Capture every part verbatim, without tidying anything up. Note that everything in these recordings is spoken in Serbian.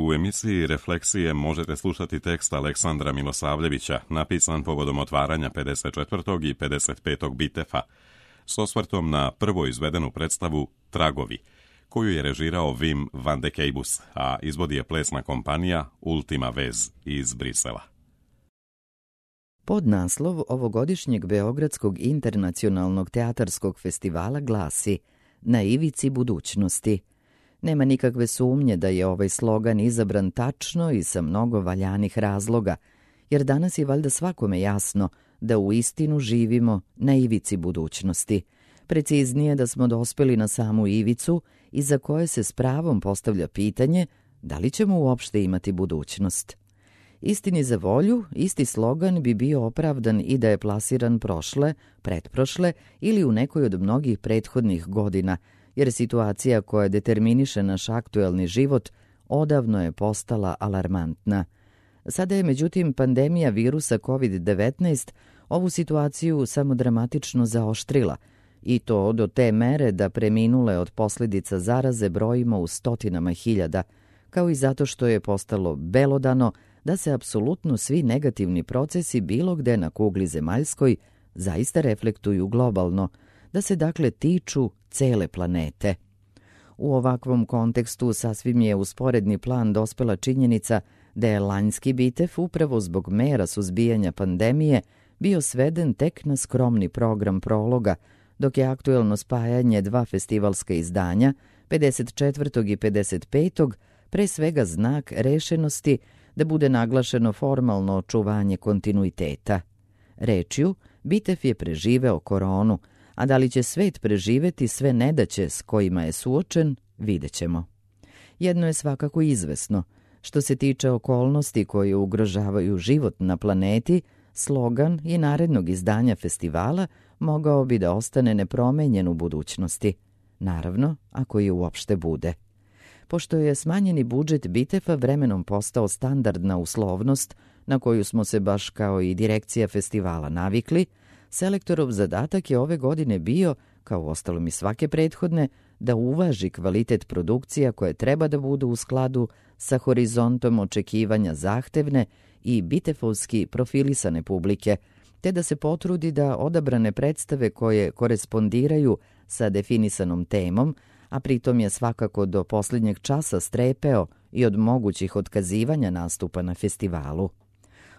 U emisiji Refleksije možete slušati tekst Aleksandra Milosavljevića, napisan povodom otvaranja pedeset četvrtog i pedeset petog Bitefa, s osvrtom na prvo izvedenu predstavu Tragovi, koju je režirao Wim van de Keibus, a izvodi je plesna kompanija Ultima Vez iz Brisela. Podnaslov ovogodišnjeg Beogradskog internacionalnog teatarskog festivala glasi Na ivici budućnosti. Nema nikakve sumnje da je ovaj slogan izabran tačno i sa mnogo valjanih razloga, jer danas je valjda svakome jasno da u istinu živimo na ivici budućnosti. Preciznije da smo dospeli na samu ivicu iza koje se s pravom postavlja pitanje da li ćemo uopšte imati budućnost. Istini za volju, isti slogan bi bio opravdan i da je plasiran prošle, pretprošle ili u nekoj od mnogih prethodnih godina, jer situacija koja determiniše naš aktuelni život odavno je postala alarmantna. Sada je međutim pandemija virusa kovid devetnaest ovu situaciju samo dramatično zaoštrila, i to do te mere da preminule od posljedica zaraze brojimo u stotinama hiljada, kao i zato što je postalo belodano da se apsolutno svi negativni procesi bilo gde na kugli zemaljskoj zaista reflektuju globalno, da se dakle tiču cele planete. U ovakvom kontekstu sasvim je u sporedni plan dospela činjenica da je lanjski Bitef upravo zbog mera suzbijanja pandemije bio sveden tek na skromni program prologa, dok je aktuelno spajanje dva festivalska izdanja, pedeset četvrtog i pedeset petog, pre svega znak rešenosti da bude naglašeno formalno očuvanje kontinuiteta. Rečju, Bitef je preživeo koronu, a da li će svet preživeti sve nedaće s kojima je suočen, vidjet ćemo. Jedno je svakako izvesno. Što se tiče okolnosti koje ugrožavaju život na planeti, slogan i narednog izdanja festivala mogao bi da ostane nepromenjen u budućnosti. Naravno, ako je uopšte bude. Pošto je smanjeni budžet Bitefa vremenom postao standardna uslovnost na koju smo se baš kao i direkcija festivala navikli, selektorov zadatak je ove godine bio, kao uostalom i svake prethodne, da uvaži kvalitet produkcija koje treba da budu u skladu sa horizontom očekivanja zahtevne i bitefovski profilisane publike, te da se potrudi da odabrane predstave koje korespondiraju sa definisanom temom, a pritom je svakako do posljednjeg časa strepeo i od mogućih otkazivanja nastupa na festivalu.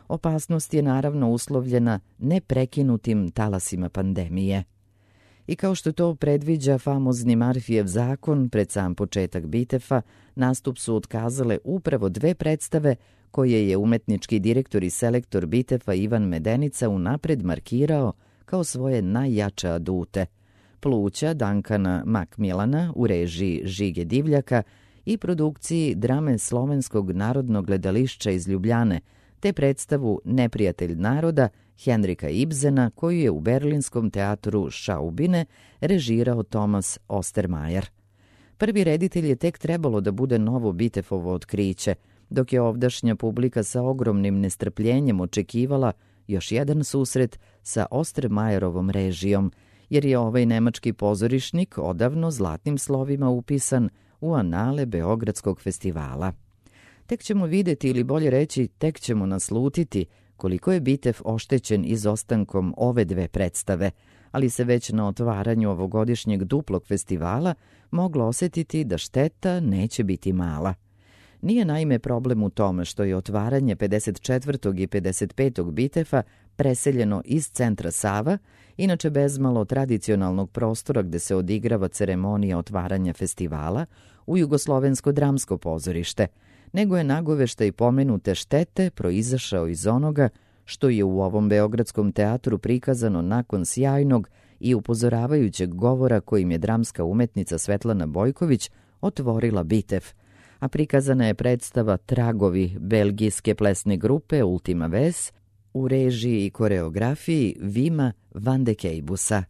Opasnost je naravno uslovljena neprekinutim talasima pandemije. I kao što to predviđa famozni Marfijev zakon, pred sam početak Bitefa, nastup su otkazale upravo dve predstave koje je umetnički direktor i selektor Bitefa Ivan Medenica unapred markirao kao svoje najjače adute. Pluća Dankana Makmilana u režiji Žige Divljaka i produkciji drame Slovenskog narodnog gledališća iz Ljubljane, te predstavu Neprijatelj naroda Henrika Ibsena koju je u berlinskom teatru Schaubine režirao Thomas Ostermayer. Prvi reditelj je tek trebalo da bude novo Bitefovo otkriće, dok je ovdašnja publika sa ogromnim nestrpljenjem očekivala još jedan susret sa Ostermayerovom režijom, jer je ovaj nemački pozorišnik odavno zlatnim slovima upisan u anale Beogradskog festivala. Tek ćemo vidjeti, ili bolje reći, tek ćemo naslutiti koliko je Bitef oštećen izostankom ove dve predstave, ali se već na otvaranju ovogodišnjeg duplog festivala moglo osjetiti da šteta neće biti mala. Nije naime problem u tome što je otvaranje pedeset četvrtog i pedeset petog Bitefa preseljeno iz centra Sava, inače bezmalo tradicionalnog prostora gde se odigrava ceremonija otvaranja festivala, u Jugoslovensko dramsko pozorište, nego je nagoveštaj pomenute štete proizašao iz onoga što je u ovom beogradskom teatru prikazano nakon sjajnog i upozoravajućeg govora kojim je dramska umetnica Svetlana Bojković otvorila Bitef, a prikazana je predstava Tragovi belgijske plesne grupe Ultima Vez u režiji i koreografiji Wima van de Keibusa.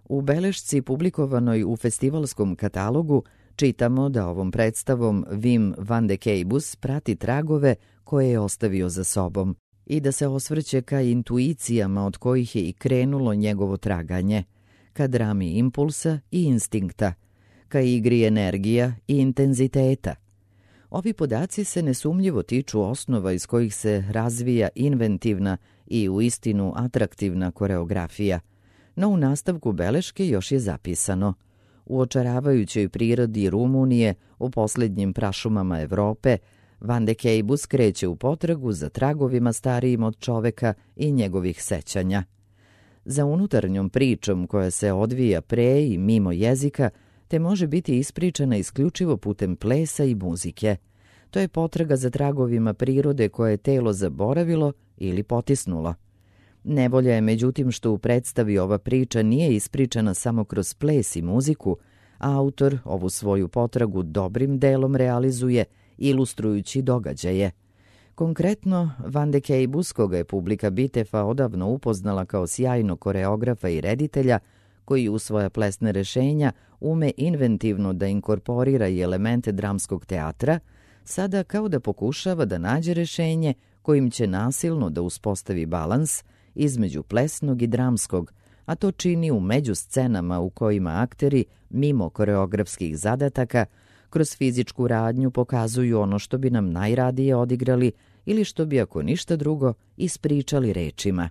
U belešci publikovanoj u festivalskom katalogu čitamo da ovom predstavom Wim van de Keibus prati tragove koje je ostavio za sobom i da se osvrće ka intuicijama od kojih je i krenulo njegovo traganje, ka drami impulsa i instinkta, ka igri energija i intenziteta. Ovi podaci se nesumnjivo tiču osnova iz kojih se razvija inventivna i uistinu atraktivna koreografija, no u nastavku beleške još je zapisano: u očaravajućoj prirodi Rumunije, u posljednjim prašumama Evrope, Van de Kejbus kreće u potragu za tragovima starijim od čoveka i njegovih sećanja. Za unutarnjom pričom koja se odvija pre i mimo jezika, te može biti ispričana isključivo putem plesa i muzike. To je potraga za tragovima prirode koje je telo zaboravilo ili potisnulo. Nevolja je međutim što u predstavi ova priča nije ispričana samo kroz ples i muziku, a autor ovu svoju potragu dobrim delom realizuje ilustrujući događaje. Konkretno, Van de Kejbus, koga je publika Bitefa odavno upoznala kao sjajnog koreografa i reditelja, koji u svoja plesne rešenja ume inventivno da inkorporira i elemente dramskog teatra, sada kao da pokušava da nađe rešenje kojim će nasilno da uspostavi balans između plesnog i dramskog, a to čini u međuscenama u kojima akteri, mimo koreografskih zadataka, kroz fizičku radnju pokazuju ono što bi nam najradije odigrali ili što bi, ako ništa drugo, ispričali rečima.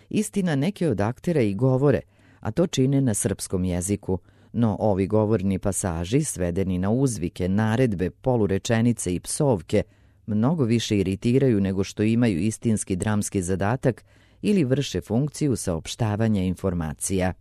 Istina, neke od aktera i govore, a to čine na srpskom jeziku, no ovi govorni pasaži, svedeni na uzvike, naredbe, polurečenice i psovke, mnogo više iritiraju nego što imaju istinski dramski zadatak ili vrše funkciju saopštavanja informacija.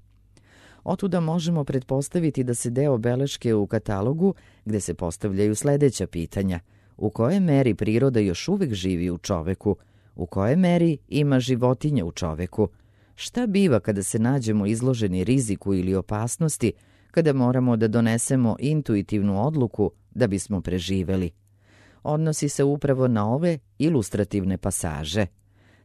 Otuda možemo pretpostaviti da se deo beleške u katalogu gde se postavljaju sledeća pitanja: u kojoj meri priroda još uvek živi u čoveku, u kojoj meri ima životinja u čoveku, šta biva kada se nađemo izloženi riziku ili opasnosti, kada moramo da donesemo intuitivnu odluku da bismo preživeli. Odnosi se upravo na ove ilustrativne pasaže.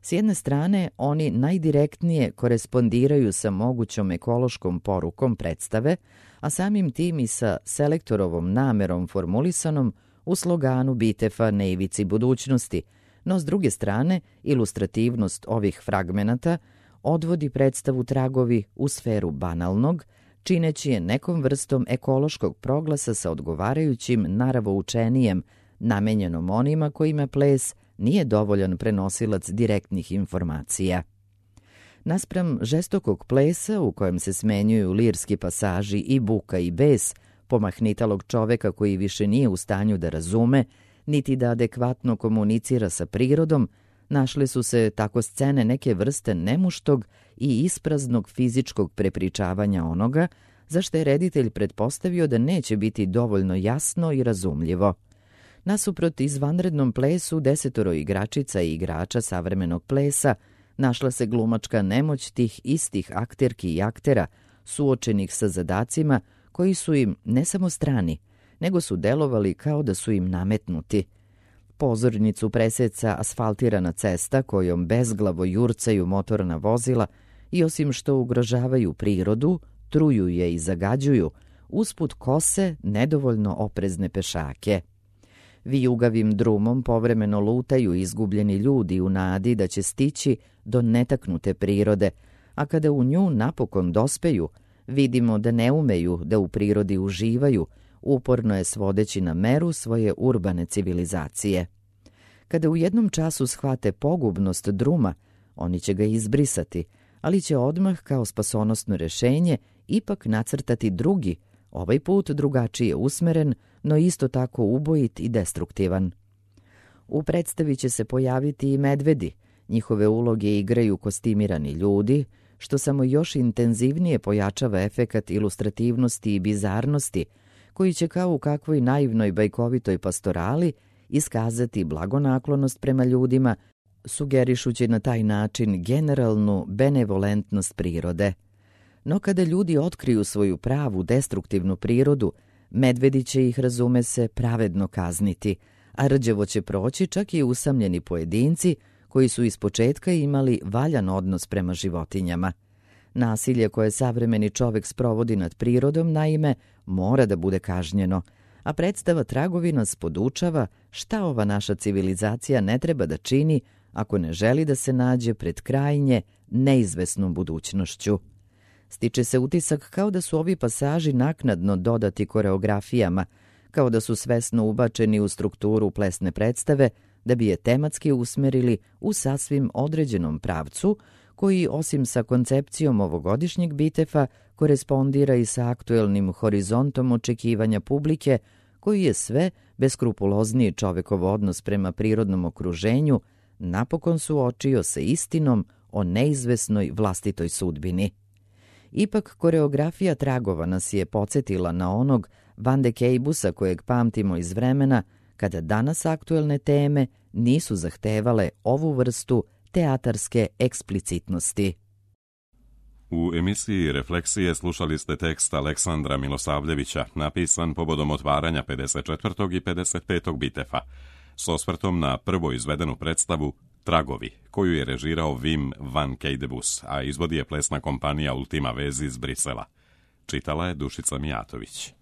S jedne strane, oni najdirektnije korespondiraju sa mogućom ekološkom porukom predstave, a samim tim i sa selektorovom namerom formulisanom u sloganu Bitefa na ivici budućnosti, no s druge strane, ilustrativnost ovih fragmenata odvodi predstavu tragovi u sferu banalnog, čineći je nekom vrstom ekološkog proglasa sa odgovarajućim naravoučenijem, namenjenom onima kojima ples nije dovoljan prenosilac direktnih informacija. Naspram žestokog plesa u kojem se smenjuju lirski pasaži i buka i bes pomahnitalog čoveka koji više nije u stanju da razume, niti da adekvatno komunicira sa prirodom, našle su se tako scene neke vrste nemuštog i ispraznog fizičkog prepričavanja onoga, za što je reditelj pretpostavio da neće biti dovoljno jasno i razumljivo. Nasuprot izvanrednom plesu desetoro igračica i igrača savremenog plesa, našla se glumačka nemoć tih istih akterki i aktera, suočenih sa zadacima koji su im ne samo strani, nego su delovali kao da su im nametnuti. Pozornicu preseca asfaltirana cesta kojom bezglavo jurcaju motorna vozila i osim što ugrožavaju prirodu, truju je i zagađuju, usput kose nedovoljno oprezne pešake. Vijugavim drumom povremeno lutaju izgubljeni ljudi u nadi da će stići do netaknute prirode, a kada u nju napokon dospeju, vidimo da ne umeju da u prirodi uživaju, uporno je svodeći na meru svoje urbane civilizacije. Kada u jednom času shvate pogubnost druma, oni će ga izbrisati, ali će odmah kao spasonosno rešenje ipak nacrtati drugi, ovaj put drugačije usmeren, no isto tako ubojit i destruktivan. U predstavi će se pojaviti i medvedi, njihove uloge igraju kostimirani ljudi, što samo još intenzivnije pojačava efekat ilustrativnosti i bizarnosti, koji će kao u kakvoj naivnoj bajkovitoj pastorali iskazati blagonaklonost prema ljudima, sugerišući na taj način generalnu benevolentnost prirode. No kada ljudi otkriju svoju pravu destruktivnu prirodu, medvedi će ih, razume se, pravedno kazniti, a rđevo će proći čak i usamljeni pojedinci koji su ispočetka imali valjan odnos prema životinjama. Nasilje koje savremeni čovek sprovodi nad prirodom, naime, mora da bude kažnjeno, a predstava Tragovi nas podučava šta ova naša civilizacija ne treba da čini ako ne želi da se nađe pred krajnje neizvesnom budućnošću. Stiče se utisak kao da su ovi pasaži naknadno dodati koreografijama, kao da su svesno ubačeni u strukturu plesne predstave da bi je tematski usmerili u sasvim određenom pravcu, koji osim sa koncepcijom ovogodišnjeg Bitefa korespondira i sa aktuelnim horizontom očekivanja publike, koji je sve beskrupulozniji čovekov odnos prema prirodnom okruženju napokon suočio sa istinom o neizvesnoj vlastitoj sudbini. Ipak, koreografija tragova nas je podsjetila na onog Van de Keibusa kojeg pamtimo iz vremena kada danas aktuelne teme nisu zahtevale ovu vrstu teatarske eksplicitnosti. U emisiji Refleksije slušali ste tekst Aleksandra Milosavljevića, napisan povodom otvaranja pedeset četvrtog i pedeset petog Bitefa, s osvrtom na prvo izvedenu predstavu Tragovi, koju je režirao Wim van Keidebus, a izvodi je plesna kompanija Ultima Vezi iz Brisela. Čitala je Dušica Mijatović.